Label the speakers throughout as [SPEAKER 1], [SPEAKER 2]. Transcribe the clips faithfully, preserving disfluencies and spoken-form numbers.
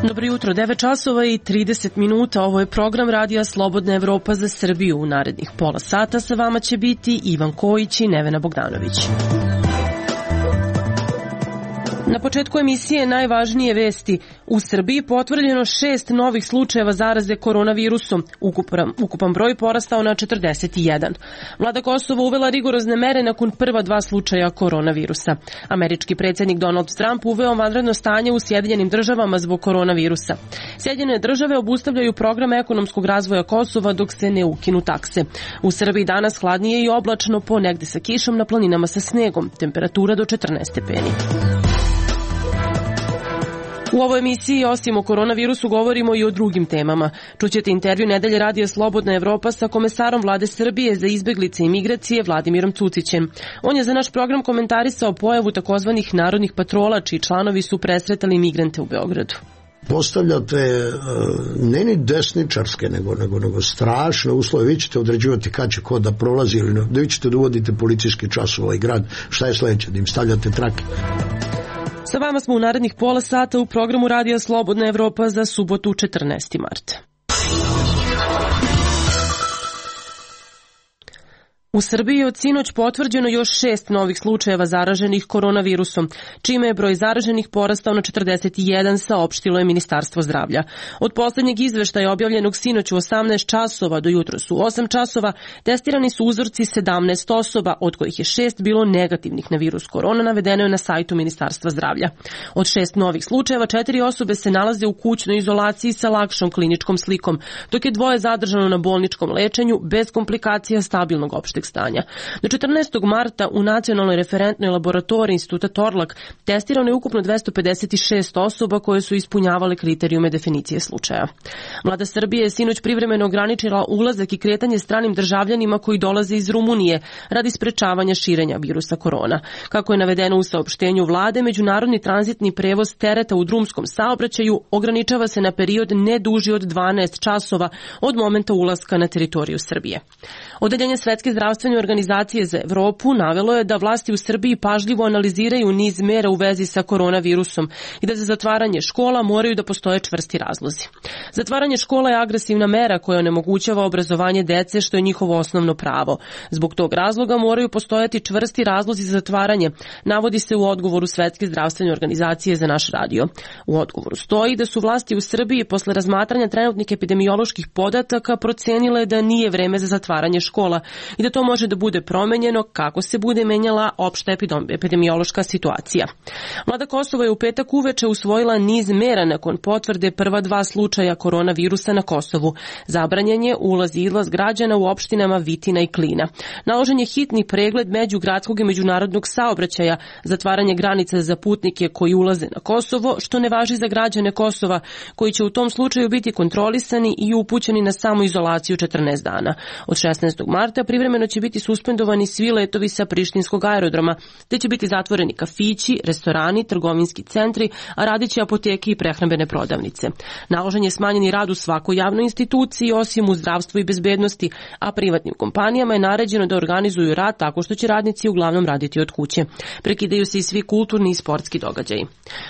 [SPEAKER 1] Dobro jutro, devet časova i trideset minuta, ovo je program Radija Slobodna Evropa za Srbiju. U narednih pola sata sa vama će biti Ivan Kojić i Nevena Bogdanović. Na početku emisije najvažnije vesti. U Srbiji potvrđeno šest novih slučajeva zaraze koronavirusom. Ukupan, ukupan broj porastao na četrdeset jedan. Vlada Kosova uvela rigorozne mere nakon prva dva slučaja koronavirusa. Američki predsjednik Donald Trump uveo vanredno stanje u Sjedinjenim državama zbog koronavirusa. Sjedinjene države obustavljaju program ekonomskog razvoja Kosova dok se ne ukinu takse. U Srbiji danas hladnije i oblačno, ponegde sa kišom, na planinama sa snegom. Temperatura do četrnaest stepeni. U ovoj emisiji osim o koronavirusu govorimo i o drugim temama. Čućete intervju Nedelje Radija Slobodna Evropa sa komesarom Vlade Srbije za izbeglice i migracije Vladimirom Cucićem. On je za naš program komentarisao pojavu takozvanih narodnih patrola, čiji članovi su presretali migrante u Beogradu.
[SPEAKER 2] Postavljate ne ni desničarske, nego, nego, nego strašne uslove. Vi ćete određivati kad će ko da prolazi ili ne. Da vi ćete da uvodite policijski čas u ovaj grad. Šta je sledeće? Da im stavljate trake?
[SPEAKER 1] Sa vama smo u narednih pola sata u programu Radija Slobodna Evropa za subotu četrnaesti marta. U Srbiji je od sinoć potvrđeno još šest novih slučajeva zaraženih koronavirusom, čime je broj zaraženih porastao na četrdeset jedan, saopštilo je Ministarstvo zdravlja. Od poslednjeg izveštaja objavljenog sinoć u osamnaest časova do jutros u osam časova testirani su uzorci sedamnaest osoba, od kojih je šest bilo negativnih na virus korona, navedeno je na sajtu Ministarstva zdravlja. Od šest novih slučajeva, četiri osobe se nalaze u kućnoj izolaciji sa lakšom kliničkom slikom, dok je dvoje zadržano na bolničkom lečenju bez komplikacija stabilnog opšteg stanja. Do četrnaestog marta u Nacionalnoj referentnoj laboratoriji Instituta Torlak testirano je ukupno dvesta pedeset šest osoba koje su ispunjavale kriterijume definicije slučaja. Vlada Srbije je sinoć privremeno ograničila ulazak i kretanje stranim državljanima koji dolaze iz Rumunije radi sprečavanja širenja virusa korona. Kako je navedeno u saopštenju vlade, međunarodni tranzitni prevoz tereta u drumskom saobraćaju ograničava se na period ne duži od dvanaest časova od momenta ulaska na teritoriju Srbije. Odeljenje Svetske zdravstvene organizacije za Evropu navelo je da vlasti u Srbiji pažljivo analiziraju niz mera u vezi sa koronavirusom i da za zatvaranje škola moraju da postoje čvrsti razlozi. Zatvaranje škola je agresivna mera koja onemogućava obrazovanje dece, što je njihovo osnovno pravo. Zbog tog razloga moraju postojati čvrsti razlozi za zatvaranje, navodi se u odgovoru Svetske zdravstvene organizacije za naš radio. U odgovoru stoji da su vlasti u Srbiji posle razmatranja trenutnih epidemioloških podataka procenile da nije vreme za zatvaranje škola i da to može da bude promenjeno kako se bude menjala opšta epidemiološka situacija. Vlada Kosova je u petak uveče usvojila niz mera nakon potvrde prva dva slučaja koronavirusa na Kosovu. Zabranjen je ulaz i izlaz građana u opštinama Vitina i Klina. Naložen je hitni pregled međugradskog i međunarodnog saobraćaja, zatvaranje granica za putnike koji ulaze na Kosovo, što ne važi za građane Kosova, koji će u tom slučaju biti kontrolisani i upućeni na samoizolaciju četrnaest dana. Od šesnaestog marta privremeno će biti suspendovani svi letovi sa prištinskog aerodroma, te će biti zatvoreni kafići, restorani, trgovinski centri, a radiće apoteke i prehrambene prodavnice. Naložen je smanjeni rad u svakoj javnoj instituciji, osim u zdravstvu i bezbednosti, a privatnim kompanijama je naređeno da organizuju rad tako što će radnici uglavnom raditi od kuće. Prekidaju se i svi kulturni i sportski događaji.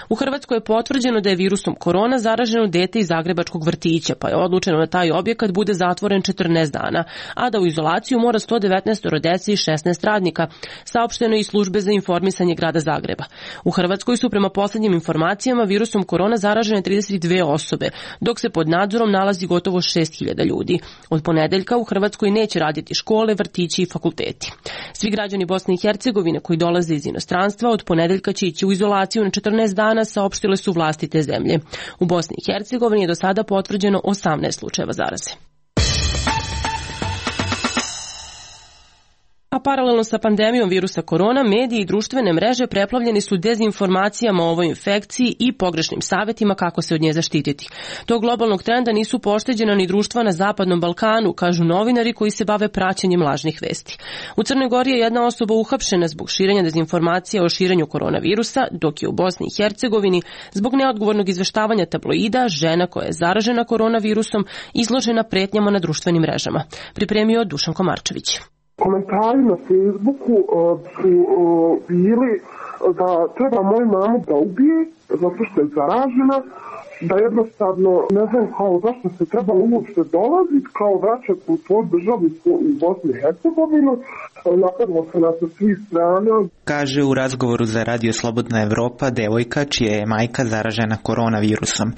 [SPEAKER 1] U Hrvatskoj je potvrđeno da je virusom korona zaraženo dete iz zagrebačkog vrtića, pa je odlučeno da taj objekat bude zatvoren četrnaest dana, a da u izolaciju mora sto devetnaest dece i šesnaest radnika, saopšteno je iz službe za informisanje grada Zagreba. U Hrvatskoj su prema poslednjim informacijama virusom korona zaražene trideset dve osobe, dok se pod nadzorom nalazi gotovo šest hiljada ljudi. Od ponedeljka u Hrvatskoj neće raditi škole, vrtići i fakulteti. Svi građani Bosne i Hercegovine koji dolaze iz inostranstva od ponedeljka će ići u izolaciju na četrnaest dana, saopštile su vlasti te zemlje. U Bosni i Hercegovini je do sada potvrđeno osamnaest slučajeva zaraze. A paralelno sa pandemijom virusa korona, mediji i društvene mreže preplavljeni su dezinformacijama o ovoj infekciji i pogrešnim savjetima kako se od nje zaštititi. Tog globalnog trenda nisu pošteđena ni društva na Zapadnom Balkanu, kažu novinari koji se bave praćenjem lažnih vesti. U Crnoj Gori je jedna osoba uhapšena zbog širenja dezinformacija o širenju koronavirusa, dok je u Bosni i Hercegovini zbog neodgovornog izveštavanja tabloida žena koja je zaražena koronavirusom izložena pretnjama na društvenim mrežama. Pripremio Dušan Komarčević.
[SPEAKER 3] Komentari na Facebooku uh, su uh, bili da treba moju mamu da ubije zato što je zaražena, da jednostavno ne znam kao zašto se trebalo uopšte dolaziti, kao vraćati u svoju državu u Bosni i Hercegovinu, napadlo se na sa svih strana.
[SPEAKER 4] Kaže u razgovoru za Radio Slobodna Evropa devojka čija je majka zaražena koronavirusom.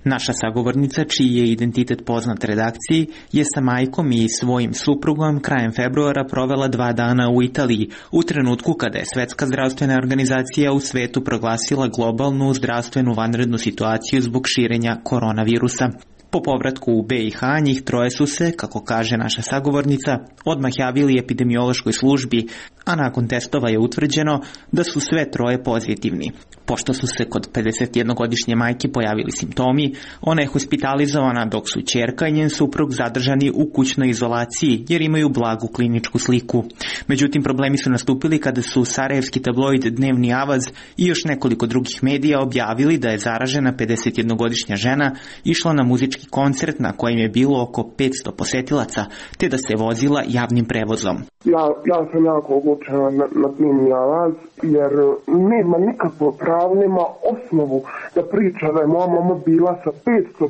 [SPEAKER 4] Naša sagovornica, čiji je identitet poznat redakciji, je sa majkom i svojim suprugom krajem februara provela dva dana u Italiji, u trenutku kada je Svetska zdravstvena organizacija u svetu proglasila globalnu zdravstvenu vanrednu situaciju zbog širenja koronavirusa. Po povratku u B i H njih troje su se, kako kaže naša sagovornica, odmah javili epidemiološkoj službi, a nakon testova je utvrđeno da su sve troje pozitivni. Pošto su se kod pedesetjednogodišnje majke pojavili simptomi, ona je hospitalizovana dok su ćerka i njen suprug zadržani u kućnoj izolaciji jer imaju blagu kliničku sliku. Međutim, problemi su nastupili kada su sarajevski tabloid Dnevni Avaz i još nekoliko drugih medija objavili da je zaražena pedesetjednogodišnja žena išla na muzički koncert na kojem je bilo oko petsto posetilaca, te da se vozila javnim prevozom.
[SPEAKER 3] Ja, ja sam jako oglučena na, na Dnevni Avaz jer nema nikakvo pravo, nema osnovu da priča da je moja mama bila sa petsto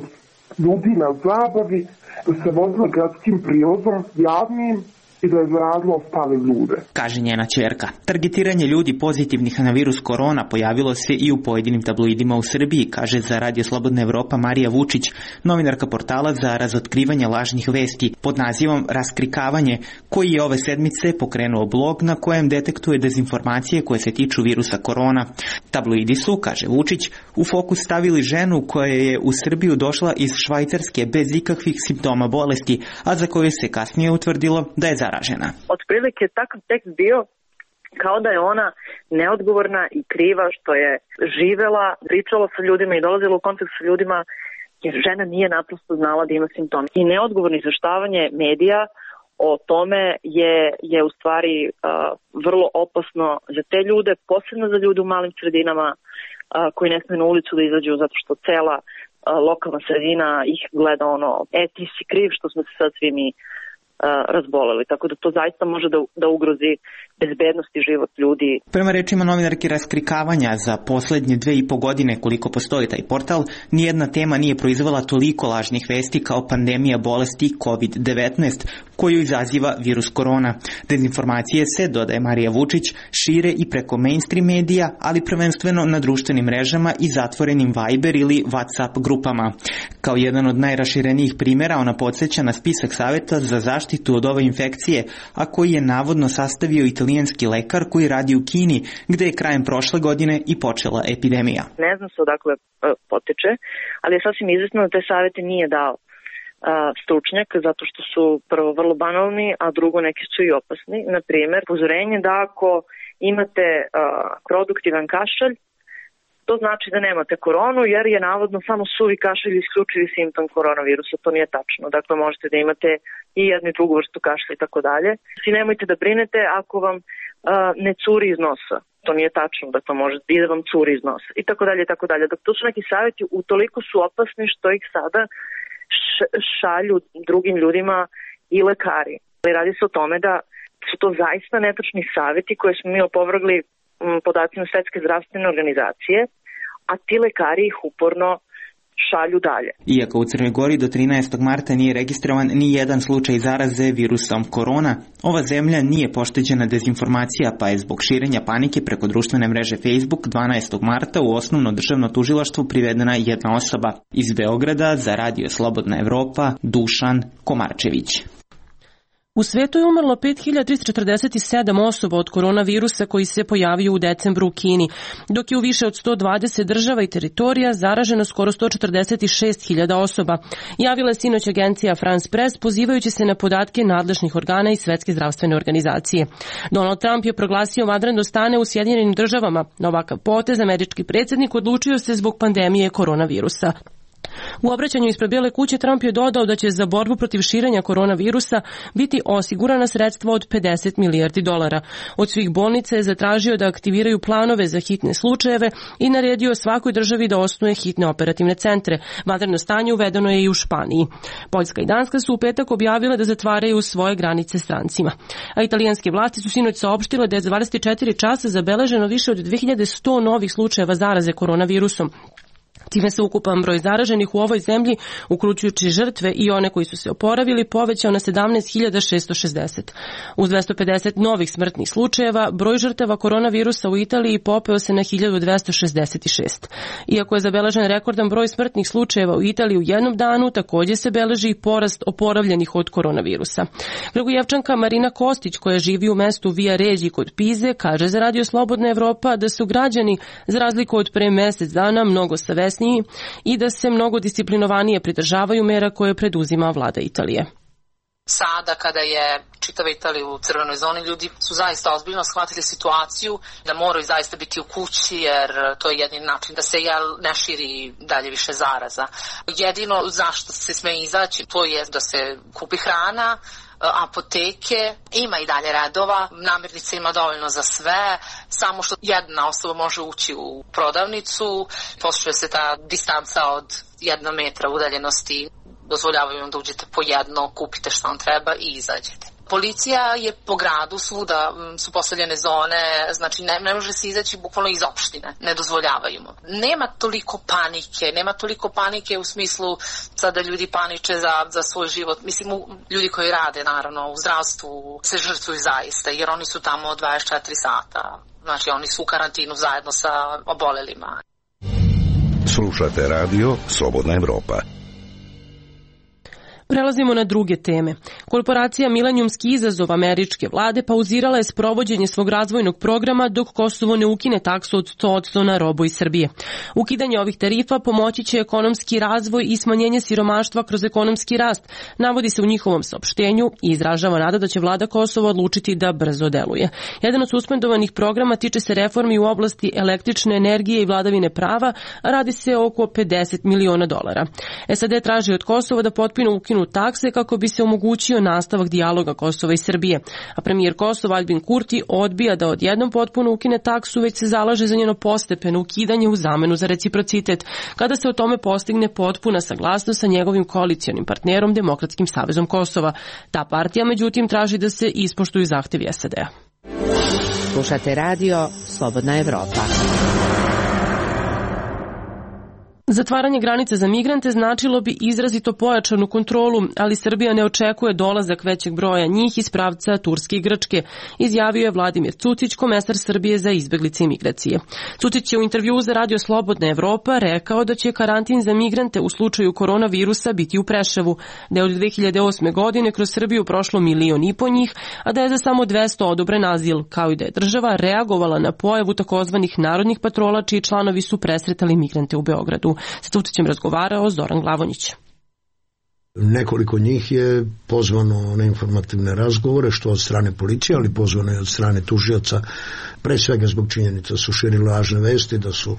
[SPEAKER 3] ljudi na zabavi, da se vozila gradskim prijevozom javnim i da je zaradilo ostale ljude.
[SPEAKER 4] Kaže njena ćerka. Targetiranje ljudi pozitivnih na virus korona pojavilo se i u pojedinim tabloidima u Srbiji, kaže za Radio Slobodna Evropa Marija Vučić, novinarka portala za razotkrivanje lažnih vesti pod nazivom Raskrikavanje, koji je ove sedmice pokrenuo blog na kojem detektuje dezinformacije koje se tiču virusa korona. Tabloidi su, kaže Vučić, u fokus stavili ženu koja je u Srbiju došla iz Švajcarske bez ikakvih simptoma bolesti, a za koju se kasnije utvrdilo da je zaražena.
[SPEAKER 5] Otprilike takav tekst bio kao da je ona neodgovorna i kriva što je živela, pričala sa ljudima i dolazila u kontakt sa ljudima jer žena nije naprosto znala da ima simptome. I neodgovorno izveštavanje medija o tome je, je u stvari uh, vrlo opasno za te ljude, posebno za ljude u malim sredinama uh, koji ne smiju na ulicu da izađu zato što cela uh, lokalna sredina ih gleda ono, e ti si kriv što smo se sad svi mi razboleli, tako da to zaista može da, da ugrozi bezbednost i život ljudi.
[SPEAKER 4] Prema rečima novinarke Raskrikavanja, za poslednje dve i po godine koliko postoji taj portal, nijedna tema nije proizvela toliko lažnih vesti kao pandemija bolesti kovid devetnaest, koju izaziva virus korona. Dezinformacije se, dodaje Marija Vučić, šire i preko mainstream medija, ali prvenstveno na društvenim mrežama i zatvorenim Viber ili WhatsApp grupama. Kao jedan od najraširenijih primjera, ona podsjeća na spisak savjeta za zaštitu od ove infekcije, a koji je navodno sastavio italijanski lekar koji radi u Kini, gde je krajem prošle godine i počela epidemija.
[SPEAKER 5] Ne znam se odakle potiče, ali je sasvim izvesno da te savjete nije dao stručnjak, zato što su prvo vrlo banalni, a drugo neki su i opasni. Na primjer, upozorenje da ako imate uh, produktivan kašalj, to znači da nemate koronu, jer je navodno samo suvi kašalj isključivi simptom koronavirusa. To nije tačno. Dakle, možete da imate i jednu i drugu vrstu kašlja i tako dalje. I nemojte da brinete ako vam uh, ne curi iz nosa. To nije tačno, dakle može i da vam curi iz nosa. I tako dalje, i tako dalje. Dakle, to su neki savjeti, utoliko su opasni što ih sada šalju drugim ljudima i lekari. Radi se o tome da su to zaista netačni savjeti koje smo mi opovrgli podacima Svetske zdravstvene organizacije, a ti lekari ih uporno šalju dalje.
[SPEAKER 4] Iako u Crnoj Gori do trinaestog marta nije registrovan ni jedan slučaj zaraze virusom korona, ova zemlja nije pošteđena dezinformacija, pa je zbog širenja panike preko društvene mreže Facebook dvanaestog marta u osnovno državno tužilaštvo privedena jedna osoba. Iz Beograda za Radio Slobodna Evropa, Dušan Komarčević.
[SPEAKER 1] U svetu je umrlo pet hiljada trista četrdeset sedam osoba od koronavirusa koji se pojavio u decembru u Kini, dok je u više od sto dvadeset država i teritorija zaraženo skoro sto četrdeset šest hiljada osoba, javila je sinoć agencija France Press pozivajući se na podatke nadležnih organa i Svetske zdravstvene organizacije. Donald Trump je proglasio vanredno stanje u Sjedinjenim državama. Na ovakav potez američki predsjednik odlučio se zbog pandemije koronavirusa. U obraćanju ispred Bijele kuće Trump je dodao da će za borbu protiv širenja koronavirusa biti osigurana sredstva od pedeset milijardi dolara. Od svih bolnica je zatražio da aktiviraju planove za hitne slučajeve i naredio svakoj državi da osnuje hitne operativne centre. Vanredno stanje uvedeno je i u Španiji. Poljska i Danska su u petak objavile da zatvaraju svoje granice strancima. A italijanske vlasti su sinoć saopštile da je za dvadeset četiri časa zabeleženo više od dve hiljade sto novih slučajeva zaraze koronavirusom. Time se ukupan broj zaraženih u ovoj zemlji, uključujući žrtve i one koji su se oporavili, povećao na sedamnaest hiljada šessto šezdeset. Uz dvesta pedeset novih smrtnih slučajeva, broj žrtava koronavirusa u Italiji popeo se na hiljadu dvesta šezdeset šest. Iako je zabeležen rekordan broj smrtnih slučajeva u Italiji u jednom danu, također se beleži i porast oporavljenih od koronavirusa. Kragujevčanka Marina Kostić, koja živi u mestu Via Regi kod Pize, kaže za Radio Slobodna Evropa da su građani, za razliku od pre mesec dana, mnogo savesniji i da se mnogo disciplinovanije pridržavaju mera koje preduzima vlada Italije.
[SPEAKER 6] Sada kada je čitava Italija u crvenoj zoni, ljudi su zaista ozbiljno shvatili situaciju da moraju zaista biti u kući jer to je jedini način da se jel, ne širi dalje više zaraza. Jedino zašto se sme izaći to je da se kupi hrana, apoteke, ima i dalje redova, namirnica ima dovoljno za sve, samo što jedna osoba može ući u prodavnicu, poštuje se ta distanca od jedna metra udaljenosti, dozvoljavaju vam da uđete po jedno, kupite što vam treba i izađete. Policija je po gradu, svuda su postavljene zone, znači ne, ne može se izaći bukvalno iz opštine, ne dozvoljavaju mu. Nema toliko panike, nema toliko panike u smislu sada ljudi paniče za, za svoj život. Mislim, ljudi koji rade naravno u zdravstvu se žrtvuju zaista jer oni su tamo dvadeset četiri sata, znači oni su u karantinu zajedno sa obolelima.
[SPEAKER 7] Slušate radio Slobodna Evropa.
[SPEAKER 1] Prelazimo na druge teme. Korporacija Milenijumski izazov američke vlade pauzirala je sprovođenje svog razvojnog programa dok Kosovo ne ukine taksu od sto posto na robu iz Srbije. Ukidanje ovih tarifa pomoći će ekonomski razvoj i smanjenje siromaštva kroz ekonomski rast, navodi se u njihovom saopštenju i izražava nada da će vlada Kosova odlučiti da brzo deluje. Jedan od suspendovanih programa tiče se reformi u oblasti električne energije i vladavine prava, a radi se o oko pedeset miliona dolara. S A D traži od Kosova da potpuno ukinu takse kako bi se omogućio nastavak dijaloga Kosova i Srbije. A premijer Kosova Albin Kurti odbija da odjednom potpuno ukine taksu, već se zalaže za njeno postepeno ukidanje u zamenu za reciprocitet, kada se o tome postigne potpuna saglasnost sa njegovim koalicionim partnerom Demokratskim savezom Kosova. Ta partija, međutim, traži da se ispoštuju zahtevi S A D-a.
[SPEAKER 8] Slušate radio Slobodna Evropa.
[SPEAKER 1] Zatvaranje granice za migrante značilo bi izrazito pojačanu kontrolu, ali Srbija ne očekuje dolazak većeg broja njih iz pravca Turske i Grčke, izjavio je Vladimir Cucić, komesar Srbije za izbeglice i migracije. Cucić je u intervjuu za Radio Slobodna Evropa rekao da će karantin za migrante u slučaju koronavirusa biti u Preševu, da je od dve hiljade osme. godine kroz Srbiju prošlo milion i po njih, a da je za samo dvesta odobren azil, kao i da je država reagovala na pojavu takozvanih narodnih patrola čiji članovi su presretali migrante u Beogradu. S Cucićem razgovarao Zoran Glavonjić.
[SPEAKER 2] Nekoliko njih je pozvano na informativne razgovore, što od strane policije, ali pozvano je od strane tužioca, pre svega zbog činjenica da su širili lažne vesti, da su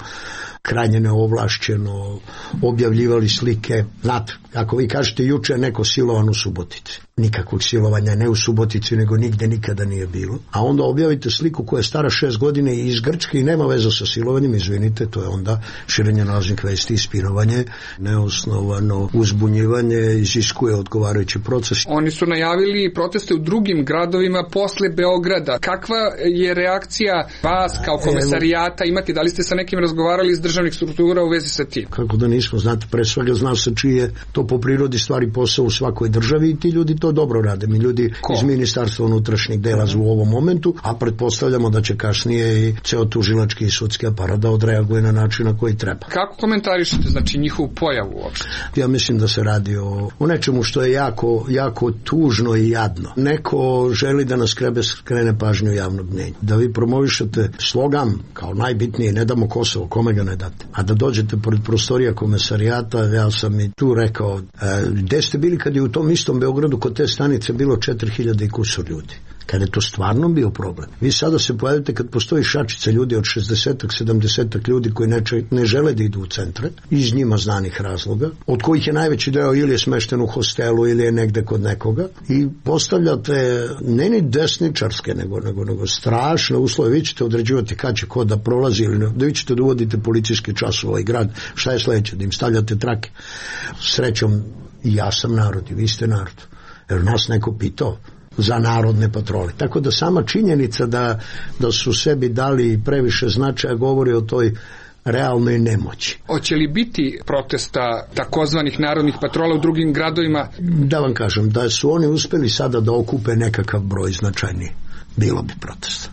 [SPEAKER 2] krajnje neovlašćeno objavljivali slike. Znate, ako vi kažete juče je neko silovan u Subotici, nikakvog silovanja ne u Subotici, nego nigde nikada nije bilo. A onda objavite sliku koja je stara šest godina i iz Grčke i nema veze sa silovanjem, izvinite, to je onda širenje lažnih vesti i spinovanje, neosnovano uzbunjivanje, iziskuje odgovarajući proces.
[SPEAKER 9] Oni su najavili proteste u drugim gradovima posle Beograda. Kakva je reakcija vas kao komesarijata imati? Da li ste sa nekim razgovarali iz državne državnih struktura u vezi sa tim?
[SPEAKER 2] Kako da nismo, znate, pre svega zna se čiji je to po prirodi stvari posao u svakoj državi i ti ljudi to dobro rade. Mi ljudi Ko? iz Ministarstva unutrašnjih dela u ovom momentu, a pretpostavljamo da će kasnije i ceo tužilački i sudski aparat da odreaguje na način na koji treba.
[SPEAKER 9] Kako komentarišete, znači, njihovu pojavu uopšte?
[SPEAKER 2] Ja mislim da se radi o, o nečemu što je jako, jako tužno i jadno. Neko želi da nas krebe skrene pažnju javnog mnjenja. Da vi promovišete slogan kao najbitnije, ne damo Kosovo, kome ga ne date. A da dođete pored prostorija komesarijata, ja sam i tu rekao, e, gde ste bili kad je u tom istom Beogradu kod te stanice bilo četiri hiljade i kusur ljudi? Kada je to stvarno bio problem. Vi sada se pojavite kad postoji šačica ljudi od šezdesetak, sedamdesetak ljudi koji ne, ne žele da idu u centre, iz njima znanih razloga, od kojih je najveći deo ili je smešten u hostelu ili je negde kod nekoga i postavljate ne ni desničarske, nego, nego, nego strašne uslove. Vi ćete određivati kad će ko da prolazi ili ne, da vi ćete da uvodite policijski čas u ovaj grad. Šta je sledeće? Da im stavljate trake. Srećom, i ja sam narod i vi ste narod. Jer nas neko pitao za narodne patrole. Tako da sama činjenica da, da su sebi dali previše značaja govori o toj realnoj nemoći.
[SPEAKER 9] Hoće li biti protesta takozvanih narodnih patrola u drugim gradovima?
[SPEAKER 2] Da vam kažem, da su oni uspeli sada da okupe nekakav broj značajniji, bilo bi protesta.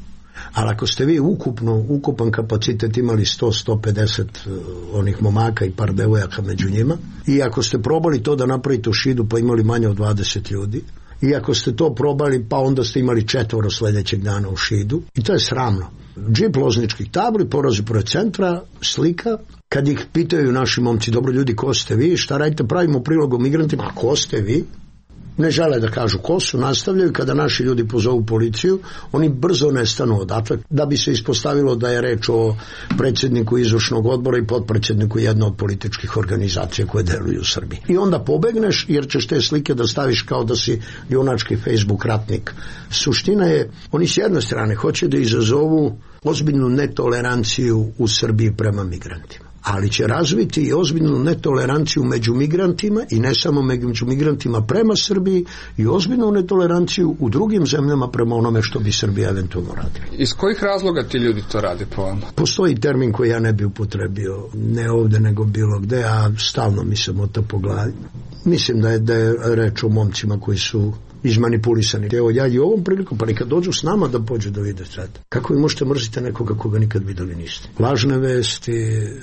[SPEAKER 2] Ali ako ste vi ukupno, ukupan kapacitet imali sto do sto pedeset onih momaka i par devojaka među njima, i ako ste probali to da napravite u Šidu pa imali manje od dvadeset ljudi, i ako ste to probali, pa onda ste imali četvoro sledećeg dana u Šidu. I to je sramno. Džip lozničkih tabli, porozi pored centra, slika. Kad ih pitaju naši momci, dobro ljudi, ko ste vi, šta radite, pravimo prilog o migrantima, a ko ste vi? Ne žele da kažu ko su, nastavljaju. Kada naši ljudi pozovu policiju, oni brzo nestanu odatle, da bi se ispostavilo da je reč o predsjedniku izvršnog odbora i potpredsjedniku jedne od političkih organizacija koje deluju u Srbiji. I onda pobegneš jer ćeš te slike da staviš kao da si junački Facebook ratnik. Suština je, oni s jedne strane hoće da izazovu ozbiljnu netoleranciju u Srbiji prema migrantima, ali će razviti i ozbiljnu netoleranciju među migrantima i ne samo među migrantima prema Srbiji i ozbiljnu netoleranciju u drugim zemljama prema onome što bi Srbija eventualno radila.
[SPEAKER 9] Iz kojih razloga ti ljudi to rade po vama?
[SPEAKER 2] Postoji termin koji ja ne bi upotrebio, ne ovde nego bilo gde, a stalno mi se mota po glavi. Mislim da je, da je reč o momcima koji su izmanipulisani. Evo ja i ovom prilikom, pa nekad dođu s nama da pođu da vide sad. Kako vi možete mrziti nekoga koga nikad videli niste? Lažne vesti,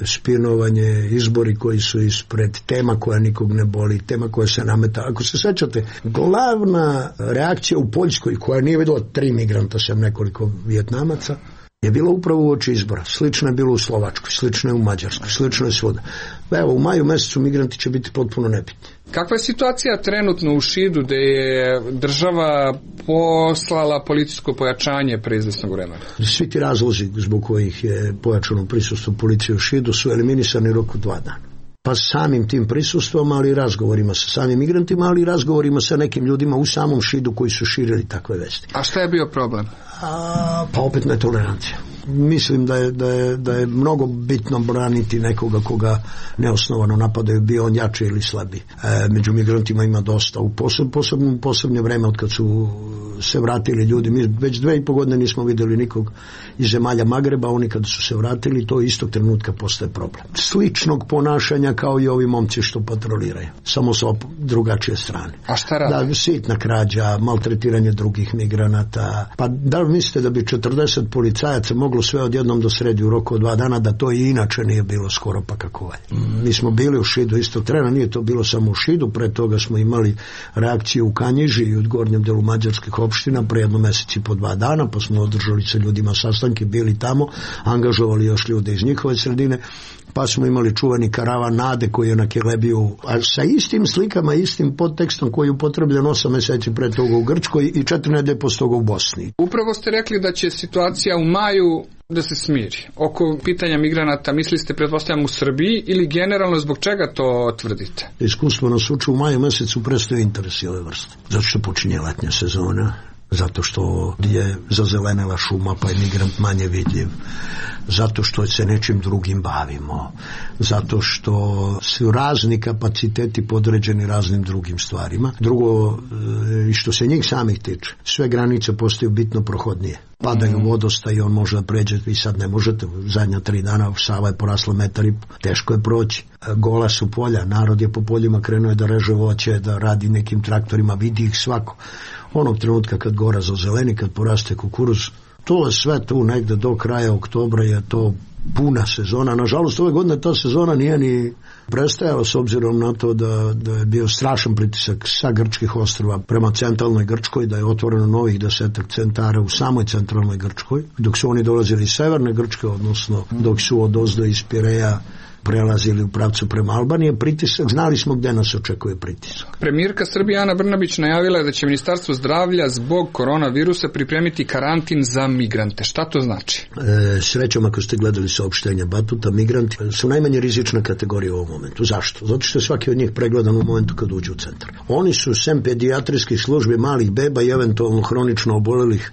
[SPEAKER 2] spinovanje, izbori koji su ispred, tema koja nikog ne boli, tema koja se nameta. Ako se sećate, glavna reakcija u Poljskoj, koja nije videla tri migranta, sem nekoliko Vijetnamaca, je bilo upravo u oči izbora. Slično je bilo u Slovačkoj, slično je u Mađarskoj, slično je svuda. Evo, u maju mesecu migranti će biti potpuno nebitni.
[SPEAKER 9] Kakva je situacija trenutno u Šidu gde je država poslala policijsko pojačanje pre izvesnog vremena?
[SPEAKER 2] Svi ti razlozi zbog kojih je pojačano prisustvo policije u Šidu su eliminisani u roku dva dana. Pa samim tim prisustvom, ali i razgovorima sa samim migrantima, ali i razgovorima sa nekim ljudima u samom Šidu koji su širili takve vesti.
[SPEAKER 9] A šta je bio problem?
[SPEAKER 2] A, pa opet netolerancija. Mislim da je, da, je, da je mnogo bitno braniti nekoga koga neosnovano napadaju, bio on jači ili slabi. E, među migrantima ima dosta. U poseb, posebno, posebno vreme od kad su se vratili ljudi, mi već dve i po godine nismo videli nikog iz zemalja Magreba, oni kad su se vratili, to istog trenutka postaje problem. Sličnog ponašanja kao i ovi momci što patroliraju, samo sa drugačije strane.
[SPEAKER 9] A šta radi?
[SPEAKER 2] Da, sitna krađa, maltretiranje drugih migranata. Pa da li mislite da bi četrdeset policajaca moglo sve odjednom da sredi u roku od dva dana, da to i inače nije bilo skoro pa kako valje. Mi smo bili u Šidu istog trena, nije to bilo samo u Šidu, pre toga smo imali reakciju u Kanjiži i u gornjem delu mađarskih opština pre jedno meseci po dva dana, pa smo održali sa ljudima sastanke, bili tamo, angažovali još ljude iz njihove sredine, pa smo imali čuvani karavan Nade koji je na Kelebiju, a sa istim slikama, istim podtekstom koji je upotrebljen osam meseci pre toga u Grčkoj i četiri nedelje posle toga u Bosni.
[SPEAKER 9] Upravo ste rekli da će situacija u maju da se smiri. Oko pitanja migranata, mislili ste, pretpostavljam, u Srbiji ili generalno zbog čega to tvrdite?
[SPEAKER 2] Iskustvo nas uči, u maju mesecu prestaju interesi ove vrste. Zato što počinje letnja sezona, zato što je zazelenela šuma pa je migrant manje vidljiv, zato što se nečim drugim bavimo, zato što su razni kapaciteti podređeni raznim drugim stvarima. Drugo, i što se njih samih tiče, sve granice postaju bitno prohodnije. padaju mm. vodosta i on može da pređe, vi sad ne možete, zadnja tri dana Sava je porasla metar i teško je proći. Gola su polja, narod je po poljima krenuo da reže voće, da radi nekim traktorima, vidi ih svako. Onog trenutka kad gora zazeleni, kad poraste kukuruz, to je sve tu negde do kraja oktobra je to puna sezona. Nažalost, ove godine ta sezona nije ni prestajala s obzirom na to da, da je bio strašan pritisak sa grčkih ostrva prema centralnoj Grčkoj, da je otvoreno novih desetak centara u samoj centralnoj Grčkoj, dok su oni dolazili iz severne Grčke, odnosno dok su od ozdo iz Pireja prelazili u pravcu prema Albanije, pritisak, znali smo gde nas očekuje pritisak.
[SPEAKER 9] Premijerka Srbije Ana Brnabić najavila je da će Ministarstvo zdravlja zbog koronavirusa pripremiti karantin za migrante. Šta to znači?
[SPEAKER 2] E, srećom, ako ste gledali saopštenja Batuta, migranti su najmanje rizična kategorija u ovom momentu. Zašto? Zato što je svaki od njih pregledan u momentu kad uđu u centar. Oni su sem pedijatrijskih službi malih beba i eventualno hronično obolelih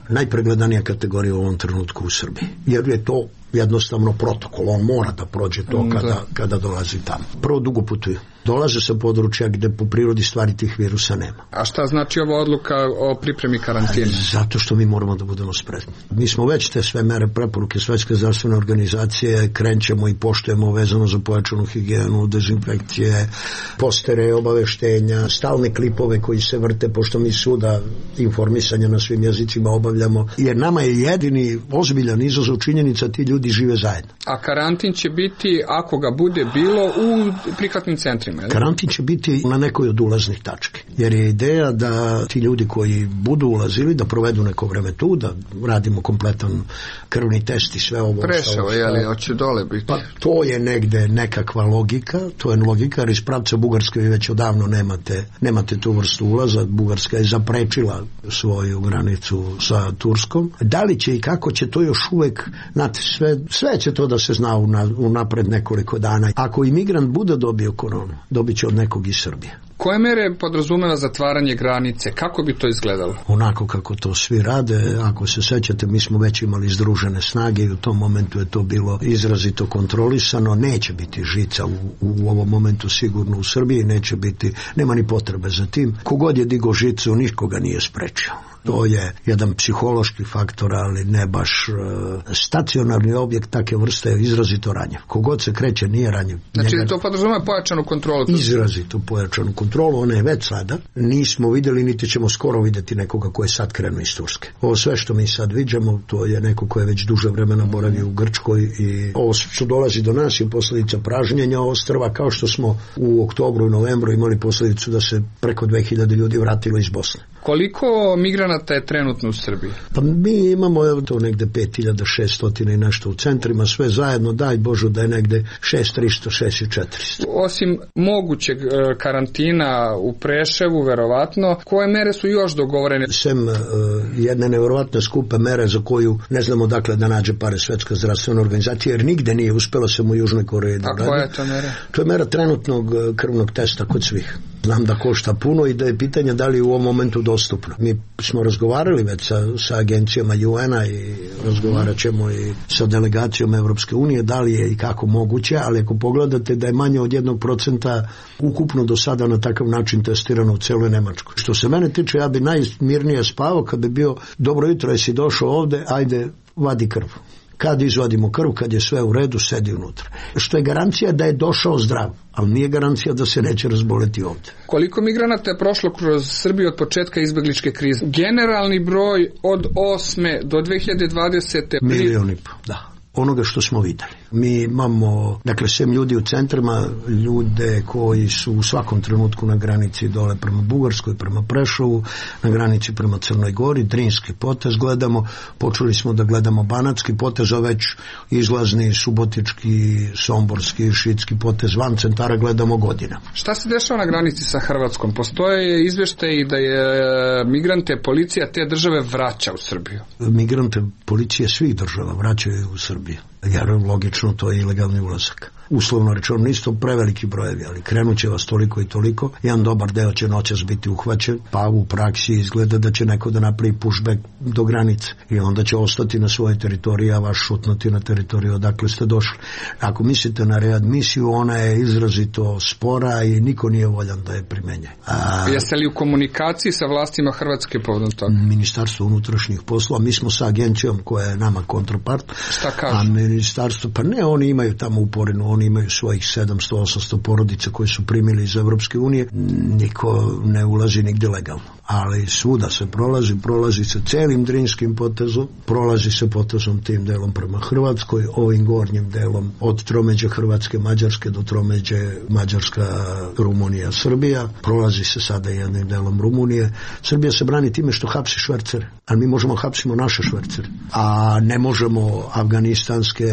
[SPEAKER 2] najpregledanija kategorija u ovom trenutku u Srbiji. Jer je to jednostavno protokol, on mora da prođe to kada, kada dolazi tamo. Prvo dugo putuju. Dolaze sa područja gde po prirodi stvari tih virusa nema.
[SPEAKER 9] A šta znači ova odluka o pripremi karantina?
[SPEAKER 2] Zato što mi moramo da budemo spremni. Mi smo već te sve mere preporuke Svetske zdravstvene organizacije krenćemo i poštujemo vezano za pojačanu higijenu, dezinfekcije, postere, obaveštenja, stalne klipove koji se vrte, pošto mi suda informisanja na svim jezicima obavljamo, jer nama je jedini ozbiljan izazov činjenica ti ljudi žive zajedno.
[SPEAKER 9] A karantin će biti, ako ga bude bilo, u prihvatnim centrima?
[SPEAKER 2] Karantin će biti na nekoj od ulaznih tačke, jer je ideja da ti ljudi koji budu ulazili da provedu neko vreme tu, da radimo kompletan krvni test i sve ovo.
[SPEAKER 9] Prešao, je li, hoće dole biti?
[SPEAKER 2] Pa to je negde nekakva logika, to je logika, jer iz pravca Bugarske vi već odavno nemate, nemate tu vrstu ulaza. Bugarska je zaprečila svoju granicu sa Turskom. Da li će i kako će to još uvek, znate, sve, sve će to da se zna unapred nekoliko dana. Ako imigrant bude dobio koronu, dobit će od nekog iz Srbije.
[SPEAKER 9] Koje mere podrazumeva zatvaranje granice? Kako bi to izgledalo?
[SPEAKER 2] Onako kako to svi rade. Ako se sećate, mi smo već imali združene snage i u tom momentu je to bilo izrazito kontrolisano. Neće biti žica u, u ovom momentu sigurno u Srbiji, neće biti, nema ni potrebe za tim. Kogod je digo žicu, nikoga nije sprečio. To je jedan psihološki faktor, ali ne baš uh, stacionarni objekt take vrste je izrazito ranjiv. Kogod se kreće nije ranjiv.
[SPEAKER 9] Znači
[SPEAKER 2] Njega...
[SPEAKER 9] to podrazumeva pojačanu kontrolu?
[SPEAKER 2] Izrazito pojačanu kontrolu, ona je već sada. Nismo videli, niti ćemo skoro videti nekoga ko je sad krenuo iz Turske. Ovo sve što mi sad viđamo, to je neko ko je već duže vremena boravio u Grčkoj i ovo što dolazi do nas je posljedica pražnjenja ostrva, kao što smo u oktobru i novembru imali posljedicu da se preko dve hiljade ljudi vratilo iz Bosne.
[SPEAKER 9] Koliko migranata je trenutno u Srbiji?
[SPEAKER 2] Pa mi imamo evo to negde pet hiljada šesto i nešto u centrima, sve zajedno, daj Božu da je negde šest hiljada tristo, šest hiljada četiristo.
[SPEAKER 9] Osim mogućeg karantina u Preševu, verovatno, koje mere su još dogovorene?
[SPEAKER 2] Sem uh, jedne neverovatne skupe mere za koju ne znamo dakle da nađe pare Svetska zdravstvena organizacija, jer nigde nije uspelo se u Južnoj Koreji da radi.
[SPEAKER 9] A koja je to mera?
[SPEAKER 2] To je mera trenutnog krvnog testa kod svih. Znam da košta puno i da je pitanje da li je u ovom momentu dostupno. Mi smo razgovarali već sa, sa agencijama U N-a i razgovarat ćemo i sa delegacijom Evropske unije da li je i kako moguće, ali ako pogledate da je manje od jednog procenta ukupno do sada na takav način testirano u celoj Nemačkoj. Što se mene tiče, ja bi najmirnije spavao kad bi bio dobro jutro, jesi došao ovde, ajde vadi krv. Kad izvadimo krv, kad je sve u redu, sedi unutra. Što je garancija da je došao zdrav, ali nije garancija da se neće razboleti ovde.
[SPEAKER 9] Koliko migranata je prošlo kroz Srbiju od početka izbegličke krize? Generalni broj od osme do dve hiljade dvadesete.
[SPEAKER 2] Milion i po, da. Onoga što smo videli. Mi imamo, dakle, sem ljudi u centrima, ljude koji su u svakom trenutku na granici dole prema Bugarskoj, prema Prešovu, na granici prema Crnoj Gori, Drinski potez gledamo, počeli smo da gledamo Banatski potez, a već izlazni Subotički, Somborski, Šidski potez van centara gledamo godina.
[SPEAKER 9] Šta se dešava na granici sa Hrvatskom? Postoje izveštaji da je migrante policija te države vraća u Srbiju?
[SPEAKER 2] Migrante policije svih država vraćaju u Srbiju. Jer logično to je ilegalni ulazak. uslovno rečeno, nisu preveliki brojevi, ali krenut će vas toliko i toliko, jedan dobar deo će noćas biti uhvaćen, pa u praksi izgleda da će neko da napravi pushback do granice i onda će ostati na svojoj teritoriji, a vaš šutnuti na teritoriju odakle ste došli. Ako mislite na readmisiju, ona je izrazito spora i niko nije voljan da je primenje. A,
[SPEAKER 9] jeste li u komunikaciji sa vlastima Hrvatske povodom toga?
[SPEAKER 2] Ministarstvo unutrašnjih poslova, mi smo sa agencijom koja je nama kontrapart.
[SPEAKER 9] Šta kažu?
[SPEAKER 2] A ministarstvo, pa ne, oni imaju tamo uporinu, oni imaju svojih sedamsto osamsto porodica koje su primili iz Evropske unije, niko ne ulazi nigde legalno. Ali svuda se prolazi, prolazi se celim Drinskim potezom, prolazi se potezom tim delom prema Hrvatskoj, ovim gornjim delom od tromeđe Hrvatske, Mađarske do tromeđe Mađarska, Rumunija, Srbija, prolazi se sada jednim delom Rumunije. Srbija se brani time što hapsi švercere, ali mi možemo hapsimo naše švercere, a ne možemo afganistanske.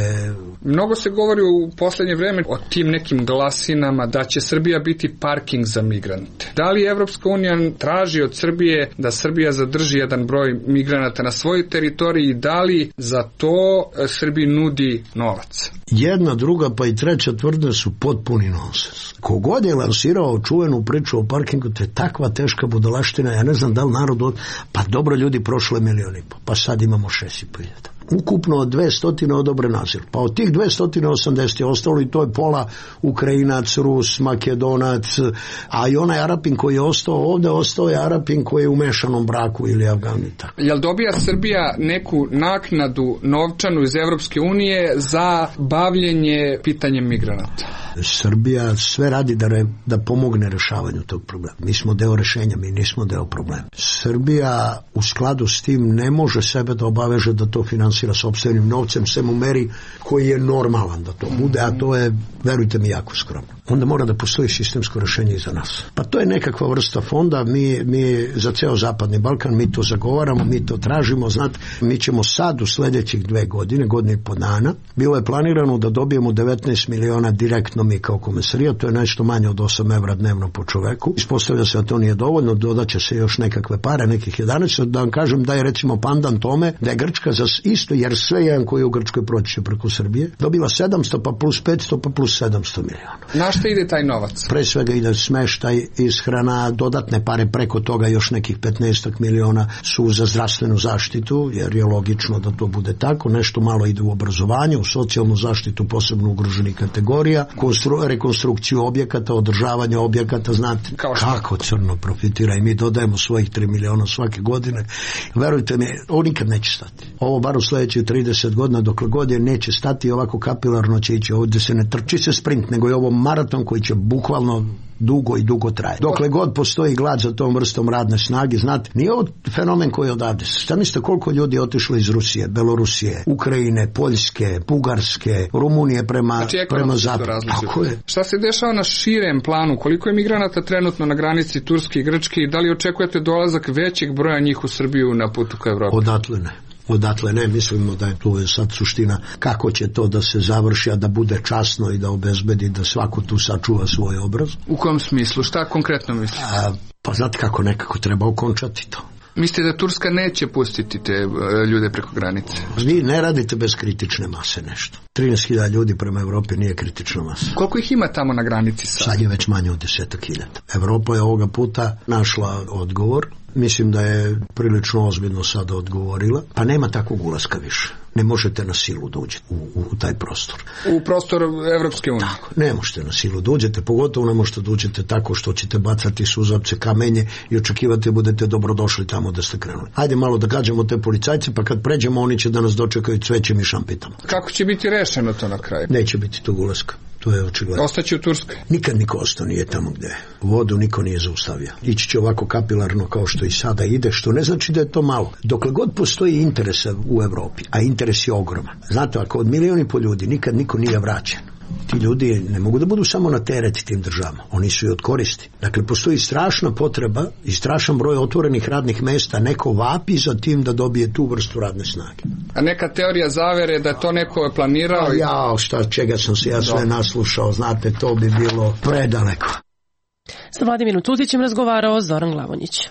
[SPEAKER 9] Mnogo se govori u poslednje vreme o tim nekim glasinama da će Srbija biti parking za migrante. Da li Evropska unija traži od Srbije da Srbija zadrži jedan broj migranata na svojoj teritoriji i da li za to Srbiji nudi novac?
[SPEAKER 2] Jedna, druga pa i treća tvrdnja su potpuni nonsens. Kogod je lansirao čuvenu priču o parkingu, to je takva teška budalaština, ja ne znam da li narod od... pa dobro ljudi, prošlo je milion i po, pa sad imamo šest i po hiljada. Ukupno dvesta odobren azil. Pa od tih dvesta osamdeset je ostalo i to je pola Ukrajinac, Rus, Makedonac, a i onaj Arapin koji je ostao ovde, ostao je Arapin koji je u mešanom braku ili Afganita.
[SPEAKER 9] Jel dobija Srbija neku naknadu novčanu iz Evropske unije za bavljenje pitanjem migranata?
[SPEAKER 2] Srbija sve radi da, re, da pomogne rešavanju tog problema. Mi smo deo rešenja, mi nismo deo problema. Srbija u skladu s tim ne može sebe da obaveže da to finansira sopstvenim novcem, sem u meri koji je normalan da to bude, a to je, verujte mi, jako skromno. Onda mora da postoji sistemsko rešenje i za nas. Pa to je nekakva vrsta fonda, mi, mi za ceo Zapadni Balkan, mi to zagovaramo, mi to tražimo, znate, mi ćemo sad u sledećih dve godine, godine i po dana, bilo je planirano da dobijemo devetnaest miliona direktno mi kao komesarija, to je nešto manje od osam evra dnevno po čoveku. Ispostavlja se da to nije dovoljno, dodaće se još nekakve pare, nekih jedanaest, da vam kažem da je recimo pandan tome, da je Grčka za isto, jer sve jedan koji je u Grčkoj proći će preko Srbije, dobila sedamsto pa plus petsto pa plus sedamsto miliona.
[SPEAKER 9] Na što ide taj novac?
[SPEAKER 2] Pre svega ide smeštaj, ishrana, dodatne pare preko toga, još nekih petnaest miliona su za zdravstvenu zaštitu, jer je logično da to bude tako, nešto malo ide u obrazovanje, u socijalnu zaštitu posebno ugroženih kategorija, konstru, rekonstrukciju objekata, održavanje objekata, znate kako crno profitira i mi dodajemo svojih tri miliona svake godine. Verujte mi, ovo nikad neće stati. Ovo bar u sledećih trideset godina, dokle god je neće stati, ovako kapilarno će ići. Ovdje se ne trči se sprint, nego je ovo maraton koji će bukvalno dugo i dugo traje. Dokle god postoji glad za tom vrstom radne snage, znate, nije ovo fenomen koji je odavde. Šta mislite koliko ljudi je otišlo iz Rusije, Belorusije, Ukrajine, Poljske, Bugarske, Rumunije prema,
[SPEAKER 9] znači,
[SPEAKER 2] prema zapadu. Tako je.
[SPEAKER 9] Šta se dešava na širem planu? Koliko je migranata trenutno na granici Turske i Grčke i da li očekujete dolazak većeg broja njih u Srbiju na putu ka Evropi?
[SPEAKER 2] Odatle ne. Odatle ne, mislimo da je tu sad suština kako će to da se završi, a da bude časno i da obezbedi da svako tu sačuva svoj obraz.
[SPEAKER 9] U kom smislu? Šta konkretno mislite?
[SPEAKER 2] A, pa znate kako nekako treba okončati to.
[SPEAKER 9] Mislite da Turska neće pustiti te ljude preko granice?
[SPEAKER 2] Vi ne radite bez kritične mase nešto. trinaest hiljada ljudi prema Evropi nije kritična masa.
[SPEAKER 9] Koliko ih ima tamo na granici sad?
[SPEAKER 2] Sad je već manje od desetak hiljada. Evropa je ovoga puta našla odgovor. Mislim da je prilično ozbiljno sada odgovorila. Pa nema takvog ulaska više. Ne možete na silu da uđete u, u, u taj prostor.
[SPEAKER 9] U prostor Evropske unije?
[SPEAKER 2] Tako, ne možete na silu da uđete, pogotovo ne možete da uđete tako što ćete bacati suzavce, kamenje i očekivati budete dobrodošli tamo da ste krenuli. Hajde malo da gađamo te policajce, pa kad pređemo oni će da nas dočekaju cvećem i šampitama.
[SPEAKER 9] Kako će biti rešeno to na kraju?
[SPEAKER 2] Neće biti tog ulaska. To je očigledno.
[SPEAKER 9] Ostaće u Turskoj?
[SPEAKER 2] Nikad niko ostao nije tamo gde je. Vodu niko nije zaustavio. Ići će ovako kapilarno kao što i sada ide, što ne znači da je to malo. Dokle god postoji interesa u Evropi, a interes je ogroman. Znate, ako od milioni i po ljudi nikad niko nije vraćen, ti ljudi ne mogu da budu samo na teret tim državama. Oni su i od koristi. Dakle, postoji strašna potreba i strašan broj otvorenih radnih mesta. Neko vapi za tim da dobije tu vrstu radne snage.
[SPEAKER 9] A neka teorija zavere da to neko planirao?
[SPEAKER 2] I... Ja, šta, čega sam se ja sve naslušao, znate, to bi bilo predaleko.
[SPEAKER 1] Sa Vladimirom Tutićem razgovarao Zoran Glavonjić.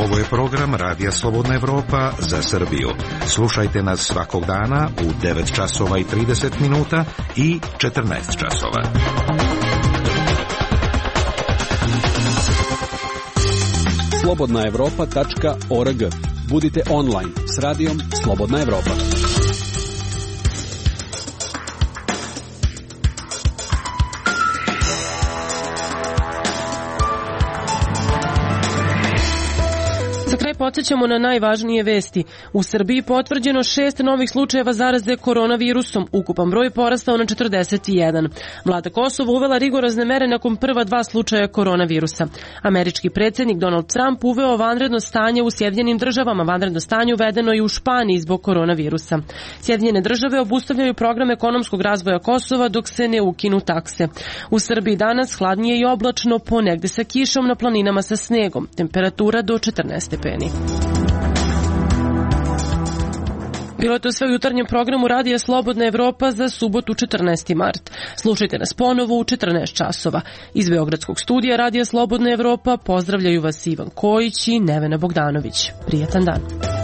[SPEAKER 7] Ovo je program Radija Slobodna Evropa za Srbiju. Slušajte nas svakog dana u devet časova i trideset minuta i četrnaest časova.
[SPEAKER 10] slobodna evropa tačka org. Budite online s radijom Slobodna Evropa.
[SPEAKER 1] Podsjećamo na najvažnije vesti. U Srbiji potvrđeno šest novih slučajeva zaraze koronavirusom. Ukupan broj porastao na četrdeset jedan. Vlada Kosova uvela rigorozne mere nakon prva dva slučaja koronavirusa. Američki predsjednik Donald Trump uveo vanredno stanje u Sjedinjenim državama. Vanredno stanje uvedeno i u Španiji zbog koronavirusa. Sjedinjene države obustavljaju program ekonomskog razvoja Kosova dok se ne ukinu takse. U Srbiji danas hladnije i oblačno, ponegde sa kišom, na planinama sa snegom. Temperatura do četrnaest stepeni. Bilo je to sve u jutarnjem programu Radija Slobodna Evropa za subotu četrnaesti mart. Slušajte nas ponovo u četrnaest časova. Iz Beogradskog studija Radija Slobodna Evropa pozdravljaju vas Ivan Kojić i Nevena Bogdanović. Prijatan dan.